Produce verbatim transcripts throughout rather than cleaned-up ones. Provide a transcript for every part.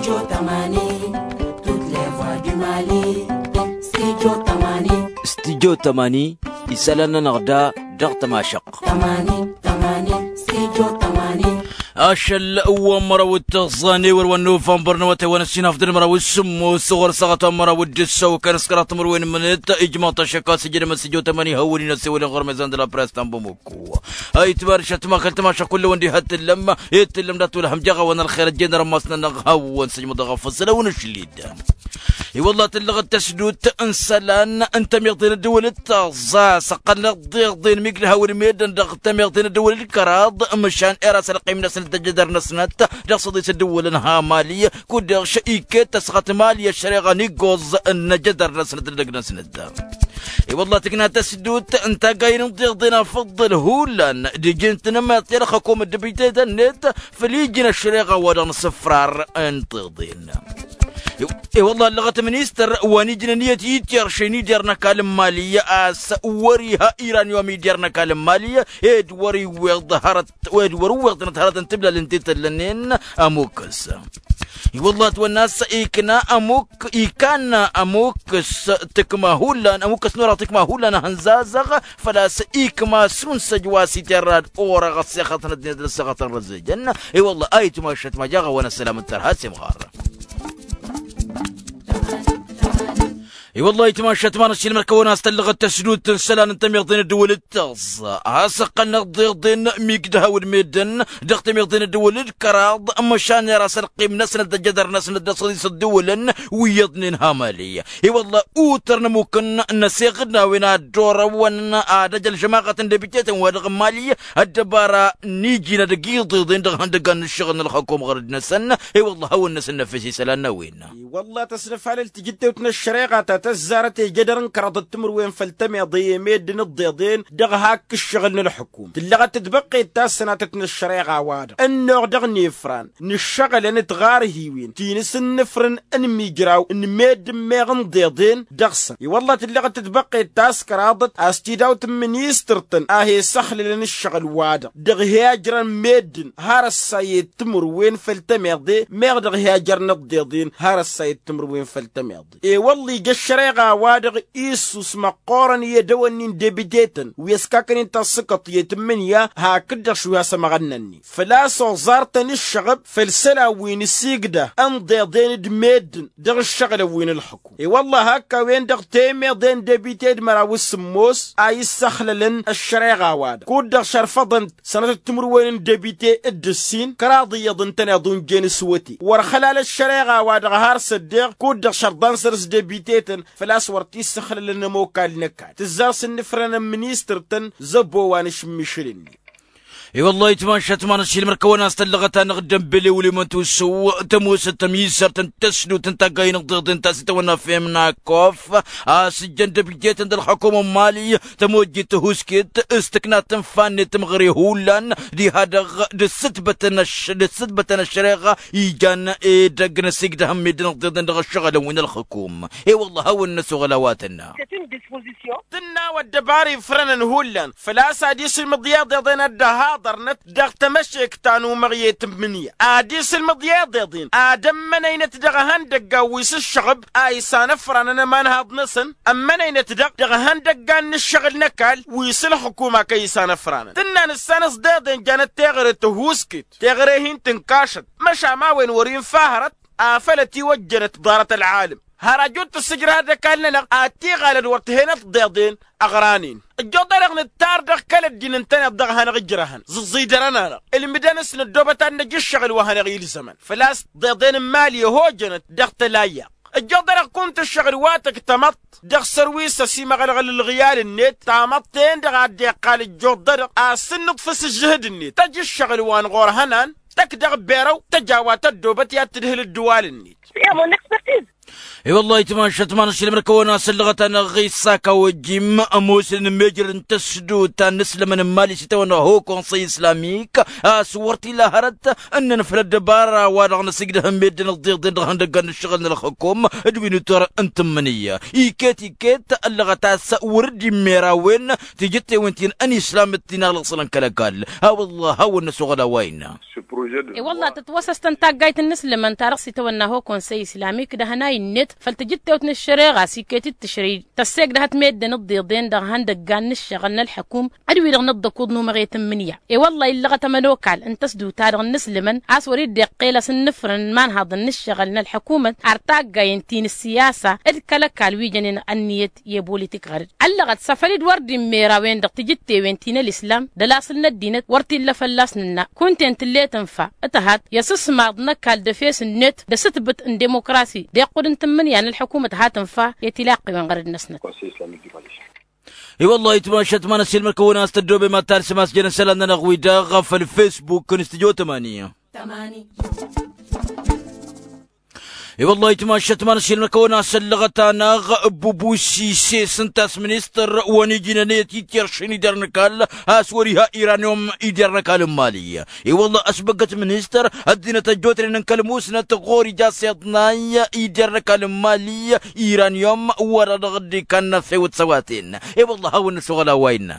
Studio tămani, studio tămani, isălan-nănăɣ da dăɣ-tămašăɣt. Ašăl wa n-măraw d-tiẓẓan i-wăr wa n-nuvănbăr n-awătay wa n-ăssinaf d-ălmăraw s-sǝmmos ɣur-săɣăt wa n-măraw d-ǝssăw kănăskăraḍ timǝrwen mǝnǝt ijmăḍ-t ăššăk a-s ijădăm studio tămani hawăn-in-ăsewălăn ɣur-mezan d-la press ta n-bamuk. Ayǝtmar šătma kăl-tămaša kull-wăn diha t-tǝllăm i-t-tǝllăm dat-wălhăm jaɣ-awăn ălxer ăjjeen ărămmas-nănăɣ hawăn-sǝjmăḍ ɣaf făssălăw n-ašlid. I-wălla tǝllăɣ d-tăsdut n-isălan n-tămiḍe n-ăddăwăl d-taẓẓa s-ăqqălnăɣ d-iḍen mi gdăhawăn meddǝn dăɣ-tămiḍe n-ăddăwăl d-kăraḍ măšan era s-ălqim-năsnăt d-ăjădăr-năsnăt dăɣ-săḍis ăddăwălăn ha mali. Kud-dăɣ šăy iket tăsɣăt mali ăššăreɣa n-iggoẓ n-ăjădăr-năsnăt d-ăgg-năsnăt. I-wălla tǝkna tăsdut n-taggayen n-tiḍen afǝḍḍǝl hullan d-ijin tǝnmăḍ i-ălxăkom d-dăbităy-tăn-net făll-iji n-ăššăreɣa wa dăɣ-nǝsǝfrar n-tiḍen. I-wălla ăllăɣăt ministăr wa n-ijnăn iyyăt ityăr šăy n-idyăr n-ăkall n-mali a-s wăr-iha iranyum idyăr n-ăkall n-mali ed wăr-i wăr-iwweḍ hărăt ed wăr-iwweḍ tănăt hărăt n-tiblalăn ti tăllănen. Ămukǝs i-wălla ătwănna a-s ikna ămuk ikanna ămukǝs tǝkma hullan ămukǝs n-orăɣ tǝkma hullan a hăn-zazăɣ făl-a-s ikma sunsăj wa s-itărrad orăɣ ăssexătăn ăddinăt d-ăssexătăn răzejăn. I-wălla a itmašăt ma jaɣ-awăn ăssălam n-tărha s-imɣar. I-wălla a itmašăt ma n-ăssiilmăr kăwăn-as tăllăɣăt tăsdut n-isălan n-tămiḍe n-ăddăwăl d-tăẓẓa a-s ăqqălnăɣ d-iḍen mi ǝgdăhawăn meddǝn dăɣ-tămiḍe n-ăddăwăl d-kăraḍ măšan era s-ălqim-năsnăt d-ăjădăr-năsnăt d-asăḍis ăddăwălăn wi iyyăḍnen ha mali. I-wălla utrăn ămukǝn n-aseɣǝd n-a-wen ad-dd-orăwăn ad-ăj ălžămaɣăt n-debite-tăn wa dăɣ-mali ăddăbara n-iji n-ad-ăgg-iḍeḍen dăɣ-ihăndăggan n-ǝššăɣǝl n-ălxăkom ɣărăd-năsăn. I-wălla hawăn-năsăn năfes isălan n-a-wen. I-wălla tăsnăfalăl tijǝttewt n-ăššăreɣa ta tăzzarăt i-jădăr n-kăraḍăt timǝrwen făll-tămeḍe i-meddǝn ǝḍḍeḍen dăɣ-hak ǝššăɣǝl n-ălxukum tǝllăɣăt-dd băqqet tassănatăt n-ăššăreɣa-wa-dăɣ ănnuɣ dăɣ-nefran n-ǝššăɣǝlăn d-tiɣarhiwen ti n-asǝnnǝfrǝn n-imijraw n-meddǝn meɣ n-iḍeḍen dăɣ-săn. I-wălla tǝllăɣăt-dd băqqet taskăraḍăt a-s tidawt n-ministăr-tăn a he-săxlălăn ǝššăɣǝl-wa-dăɣ dăɣ-he-ajrăn meddǝn har ăssayet timǝrwen făll-tămeḍe meɣ dăɣ-he ajrăn ǝḍḍeḍen har ăssayet timǝrwen făll-tămeḍe. I-wălla ija ăššăreɣa-wa-dăɣ issus măqqoorăn i-edăwănni n-debite-tăn wi ăskakăn-in tasǝkăḍt i-tǝmmǝnǝya hakd-dăɣ šwi hasămăɣănna-net făl-a-s oẓar-tăn ǝššăɣăb făll-isălan wi n-asigdăh n-iḍeḍen d-meddǝn dăɣ-ǝššăɣǝlăn wi n-ǝlxǝkum. I-wălla hak a-wen-dăɣ temeḍe n-debite d-măraw s-sǝmmos a issăxlălăn ăššăreɣa-wa-dăɣ kud-dăɣ šărfăḍăn-t sănătăt timǝrwen n-debite d-ǝssin kăraḍ iyyăḍ ǝntăneḍ unjen s-wăte wăr xălal ăššăreɣa-wa-dăɣ har s-ăddeɣ kud-dăɣ šărḍan săr-s debite-tăn făl-a-s wăr t-issăxlălăn ămokal n-ăkall tǝzzar s-ǝnnǝfrănăn ministăr-tăn zăbbo wa n-ašǝmmišǝl-net. I-wăllah itmašat ma n-ašilmăr kăwăn-as tăllăɣăt-anăɣ dd-ănbel i-wăl-i măntusǝw tămoosăt tămizărt n-tăsnut n-taggayen ǝḍḍeḍen ta s-itawănna femnakof a-s ǝjjăn dăbjeten d-ălxăkum n-imali tămojjit tăhusket s-tǝkna tǝnfa-net tǝmɣăre hullan diha-dăɣ d-ǝssǝtbătăn ăššăreɣa ijan edăgg n-asigdăh n-meddǝn ǝḍḍeḍen dăɣ-ǝššăɣǝlăn wi n-ălxǝkum. I-wăllah a hawăn-năsoɣăl a-wa tǝnna. Tǝnna wa ăddăbar ifrănăn hullan făl-a-s ad-isǝlmǝḍ i-iḍeḍen ad-dd-ăhaḍărnăt dăɣ-tamăšekt ta n-umăɣ i-tǝmmǝnǝya ad-isǝlmǝḍ i-iḍeḍen ad-ămmănăynăt dăɣ-ehăndăggan wi s-ǝššăɣǝb a isanăfranăn ămanhaḍ-năsăn ămmănăynăt-dăɣ dăɣ-ehăndăggan n-ǝššăɣǝl n-ăkall wi s-ǝlxǝkum a kăy-isanăfranăn tǝnnan ǝssanăs d-iḍen janăt teɣăre tăhuusket teɣăre-hin-tǝnkašăt măšan ma wen wăr-infa hărăt afăl ătiwăjjănăt ḍarăt ălɣalăm. Har ajut tǝssǝjrăhăd ăkall-nănăɣ ad-t-iɣalăd wăr t-hen-ăḍḍeḍen ăɣranen ăjjuḍ-anăɣ nǝttar dăɣ-kăl-ăddin ǝntăneḍ dăɣ-ehănăɣ ǝjrăhăn zǝẓẓidărăn-anăɣ ǝlmǝdăn s-năddoobăt ad-năj ǝššăɣǝl wa hanăɣ-ilzămăn făl-a-s ḍeḍen n-imali ăhojănăt dăɣ-tălayyaḍt. Ăjjuḍ-anăɣ kum tǝššăɣǝl wa tǝktămăḍt dăɣ-sărwisăs imăɣălɣăl ǝlɣǝyal-net tamăḍt-en-dăɣ a dd-iqqal ǝjjuḍ-anăɣ a-s ǝnnǝḍfǝs ǝžžǝhǝd-net tăj ǝššăɣǝl wa n-ɣur-hănan tăkk dăɣ-berăw tăj a-wa tăddoobăt i-ad-tǝdhǝl ǝddǝwal-net. Iyyă mon expertise. I-wăllah itmašăt ma n-ašilmăr kăwăn-asăllăɣăt-anăɣ ɣisa kawăjjim ămoosnen n-mejrăd n-tăsdut ta n-inǝslămăn n-mali s-itawănna ho konsăy islamik, a-s wăr t-illa hărăt ǝnnăn făll-ăddăbara wa-dăɣ năsǝjdăh n-meddǝn ăḍḍeḍen dăɣ-ihăndăggan n-ǝššăɣǝl n-ălxukum d-wi n-utor n-tǝmmǝnǝy. Iket-iket ăllăɣăt a-s wăr dd-immera a-wen tijǝttewen ti n-islam d-ti n-alăṣlăn kăl-ăkall. A-wăllah hawăn-năsoɣăl a-wa innă. I-wălla tătwăsăstăn taggayt n-inǝslǝmăn ta dăɣ-s itawănna ho konsăy islamik d-ahănay-net făll-tijǝttewt n-ǝššăreɣa s-iket-dd tǝšrǝy tăssegdăhăt meddǝn ǝḍḍeḍen dăɣ-ihăndăggan n-ǝššăɣǝl n-ălḥăkum d-wi-dăɣ n-ăḍḍăkuḍ n-umăɣet n-imǝnǝya. I-wălla illăɣăt ămănokal n-tăsdut-ta-dăɣ n-inǝslǝmăn a-s wăr-dd-iqqel asǝnnǝfrǝn n-imanhaḍăn n-ǝššăɣǝl n-ălḥăkumăt ar taggayen ti n-ǝssiyasa d-kăl-ăkall wi jănen ănniyăt i-ăbolitik ɣăr-dd. Ăllăɣăt s-afăl-dd wăr dd-immera a-wen-dăɣ tijǝttewen ti n-ălislam d-ălasǝl n-ăddinăt wăr t-illa fălla-s nǝnna kunta-en tǝllet ǝnfa. Ǝtăhat i-asǝsmaḍ n-ăkall d-efes-net d-asǝtbǝt n-dimokrasi d-iqqud n-tǝmmǝnǝya n-ălḥăkumăt hat ǝnfa i-tilaqqiwen ɣărăd-năsnăt. I-wăllah itmašăt ma n-asilmăr kăwăn-as tăddoobem ad-talsăm a-s jăn isălan-nănăɣ-wi-dăɣ făll-facebook n-stujo tămani. I-wăllah itmašăt ma n-asilmăr kăwăn-as ăllăɣăt-anăɣ ăbbubusi s-e-s ǝnta a-s ministăr wa n-ijnăn i-ătitteršăn ider n-ăkall a-s wăr-iha iranyum ider n-ăkall n-mali. I-wălla ăsbăggăt ministăr ăddinăt ăjjootnen n-kăl-musnăt ɣur-ija s-iḍnay ider n-ăkall n-mali iranyum wăr-dăɣ dd-ikanna fewăt s-ăwaten. I-wălla hawăn-năsoɣăl a-wa innă.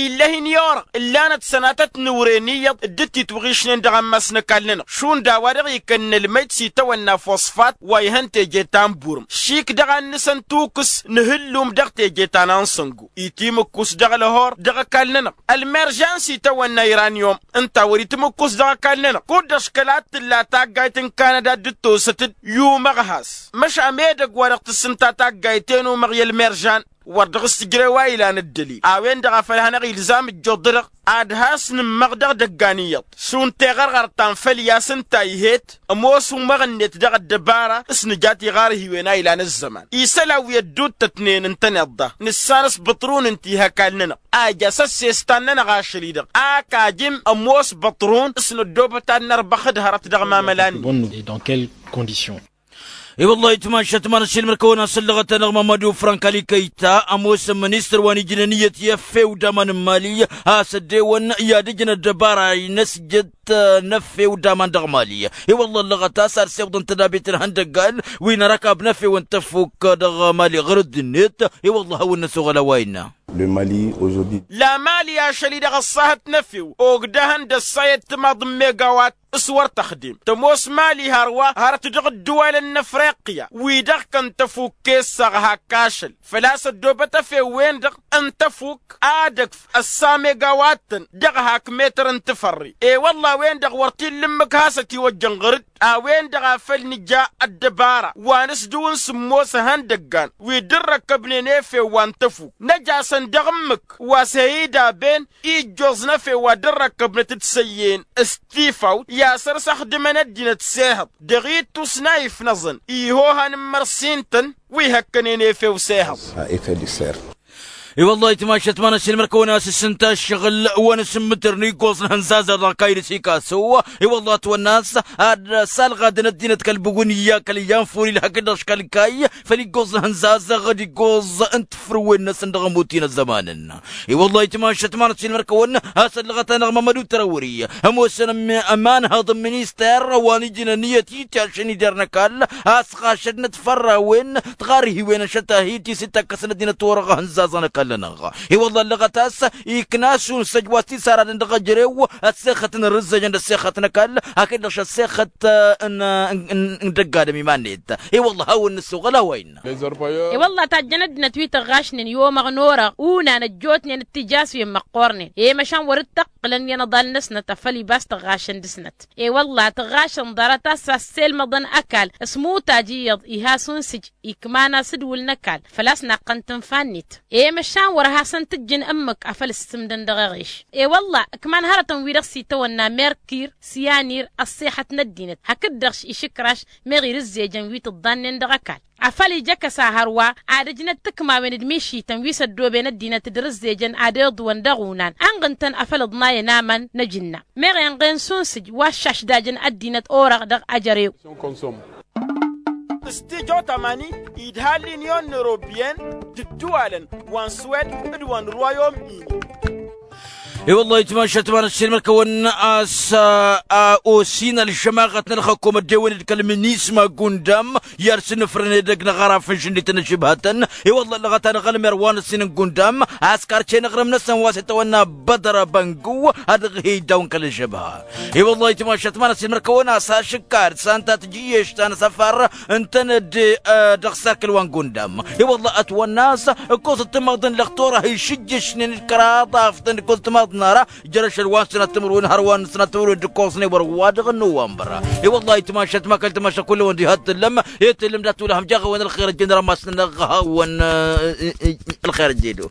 Ill'-ahin i-orăɣ ǝllanăt sănatăt n-ewren iyyăḍ dd-titwăɣišnen dăɣ-ammas n-ăkall-nănăɣ šund a-wa dăɣ-ikănnălmăy d-s itawănna fosfat wa ihăn teje ta n-burǝm šik dăɣ-annǝsăn tukǝs n-ihǝllum dăɣ-teje ta n-ansăngu itimǝkkus dăɣ-ălhor dăɣ-ăkall-nănăɣ. Ălmeržan s-itawănna iranyum ǝnta a wăr-itmǝkkus dăɣ-ăkall-nănăɣ kud-dăɣ škăla t-tǝlla taggayt n-kanada dd-tosăt-dd i-umăɣ has măšan edăgg wa dăɣ-tǝssǝnta taggayt i-număɣ i-ălmeržan. Wăr dăɣ-s tǝjrew a ilan ăddălil a-wen-dăɣ a făl hanăɣ-ilzam ǝjjuḍ-dăɣ ad-has-nǝmmăɣ dăɣ-idăggan iyyăḍ šund teɣărɣărt ta n-făl i-asǝnta ihet ămoos umăɣ-net dăɣ-ăddăbara s-nǝja tiɣarhiwen a ilan ăzzăman isălan wi ădduuttătnen ǝntăneḍ-da nǝssan s-băṭrun ǝnta ih' ăkall-nănăɣ a ija s-ăssestan-nănăɣ ašăl-i-dăɣ ak ajǝm ămoos băṭrun s-năddoobăt ad-nărbăx d-hărăt dăɣ-imamălan-net. I-wăllah itmašăt ma n-asilmăr kăwăn-asăllăɣăt-anăɣ mamădu frank ali kăyta ămoosăn ministăr wa n-ijnăn iyyăt i-efew d-aman n-mali a-s ăddewăn i-ad-ǝjǝn ăddăbara-i n-ăsjăt n-efew d-aman dăɣ-mali. I-wăllah ăllăɣăt a-s ad-sewḍăn tădabit n-ihăndăggan wi n-arakab n-efew n-tăfuk dăɣ-mali ɣur-dd-net. I-wăllah hawăn-năsoɣăl a-wa innă. Lamali ašăl-i-dăɣ ăṣṣahăt n-efew ogdăhăn d-ăssayăt timaḍ n-megawat s-wăr tăxdem tămoos mali hărwa hărăt dăɣ-ǝddǝwalăn n-afriqya wi-dăɣ kăn tăfuk kessăɣ hak ašăl făl-a-s ăddoobăt efew-wen-dăɣ n-tăfuk ad-ăkf ăssa megawattăn dăɣ-hak metăr n-tǝfărre. I-wălla a-wen-dăɣ wăr t-illa ǝmmǝk has-ătiwăjjăn ɣăr-dd a-wen-dăɣ a făl nǝja ăddăbara wa nǝsdǝw n-sǝmmos ihăndăggan wi dd-ărrăkkăbnen efew wa n-tăfuk năj'-asăn dăɣ-ǝmmǝk wa s-he-idaben ijjoẓ n-efew wa dd-ărrăkkăbnăt d-săyyen s-tifawt i-asăr s-ăxdǝmăn ăddinăt s-ehăḍ dăɣ-ittus n-a ifnăẓăn ihohan n-imărsin-tăn wi hăkkănen efew s-ehăḍ. I-wăllah itmašăt ma n-asilmăr kăwăn-asǝssǝnta ǝššăɣǝl wa n-asǝmmǝtărăn iggoẓ n-ihănzazăɣ dăɣ-kayǝl s-ikasăw. I-wăllah ătwănna a-s ad-salɣadăn ăddinăt kăl-bǝwǝnǝyya kăl-iyyăn furil hakd-dăɣ škăl-kayy făll-iggoẓ n-ihănzazăɣ d-iggoẓ n-tǝfrǝwen-năsăn dăɣ-ămuti n-ăzzămanăn. I-wăllah itmašăt ma n-asilmăr kăwăn-asăllăɣăt-anăɣ mămădu tărăwri ămoosăn ămanhăḍ n-minister wa n-ijnăn iyyăt i-tiašăn ider n-ăkall a-s ɣašădnăt fărrawen tiɣarhiwen ăšăt-ahi ti s-dd-takkăsăn ăddinăt orăɣ ihănzazăn ăkall-nănăɣ. I-wăllah ăllăɣăt a-s ikna šund săj wa s-tisaradăn dăɣ-ejărew ăssexăt n-irǝzzăjăn d-ăssexăt n-ăkall hakd-dăɣ šăssexăt n-dăgg-adǝm iman-net. I-wăllah hawăn-nǝssoɣăl a-wa innă. I-wălla tajjăn ăddinăt wi tăɣɣašnen i-omăɣ n-orăɣ unan ăjjootnen d-tijaswen măqqoornen i-măšan wăr-dd-tăqqǝlăn i-inăḍal-năsnăt afăl ibas tăɣɣašăn dăr-snăt. I-wălla tăɣɣašăn ḍarăt a-s asselmăḍăn ăkall s-mutaj iyyăḍ iha šund sǝj ikman asǝdwǝl n-ăkall făl-a-s naqqăn tǝnfa-net. I-măšan wăr hasăn-tǝjjǝn ǝmmǝk afăl ǝssǝmdăn dăɣ-eɣeš. I-wălla ǝkman hărătăn-wi-dăɣ s-itawănna merkir s-iyanir ăṣṣixăt n-ăddinăt hakd-dăɣ išǝkraš meɣ irǝzzejăn wi tǝḍḍannen dăɣ-ăkall afăl ija ăkăs a hărwa ad-ǝjnăt tikmawen d-mišităn wi s-ăddooben ăddinăt d-irǝzzejăn ad-iḍwăn dăɣ-unan ănɣǝn-tăn afăl ǝḍnayăn aman n-ajǝnna meɣ inɣen šund sǝj wa ăššašdajăn ăddinăt orăɣ dăɣ-ajărew. s-tijo tamani idha l-inyon n-eropiyăn d-ǝddǝwalăn wa n-swed d-wa n-rwayom-in. I-wăllah itmašat ma n-ăssiilmăr-kăwăn a-s a osin ălžămaɣăt n-ălxăkum ăddewăn-dd kăl-minisma gundam i-ad-sǝnnǝfrăn edăgg n-aɣaraf n-žǝnnităn ăžžǝbhătăn. I-wăllah ălɣăt anăɣ-ălmer wa n-ăssin n-gundam a-s karce n-aɣrǝm-năsăn wa s-itawănna bădăr abăngǝw ad-dăɣ-hi-iddaw n-kăl-ăžžăbha. I-wăllah itmašat ma n-ăssiilmăr-kăwăn a-s ašǝkkad s-anta tǝjǝyyešt ta n-asăfar ǝntăneḍ dăɣ-sarkǝl wa n-gundam. I-wălla ătwănna a-s ǝkkoẓăt timaḍ n-lăxtur a hi-išǝjjăšnen d-kăraḍ aftăn ǝkkoẓăt timaḍ n-ara. Jăr ašăl wa n-sănat timǝrwen hărwa n-sănat timǝrwen d-ǝkkoẓnen wăr-wa-dăɣ n-nowămbăr. I-wălla itmašat ma kăl-timašat kull-wăn diha t-tǝllăm i-tǝllăm d-ad-tulăhăm jaɣ-awăn ălxer ăjjeen rămas n-ănăɣ-hawăn. Ălxer ăjjeen-dd.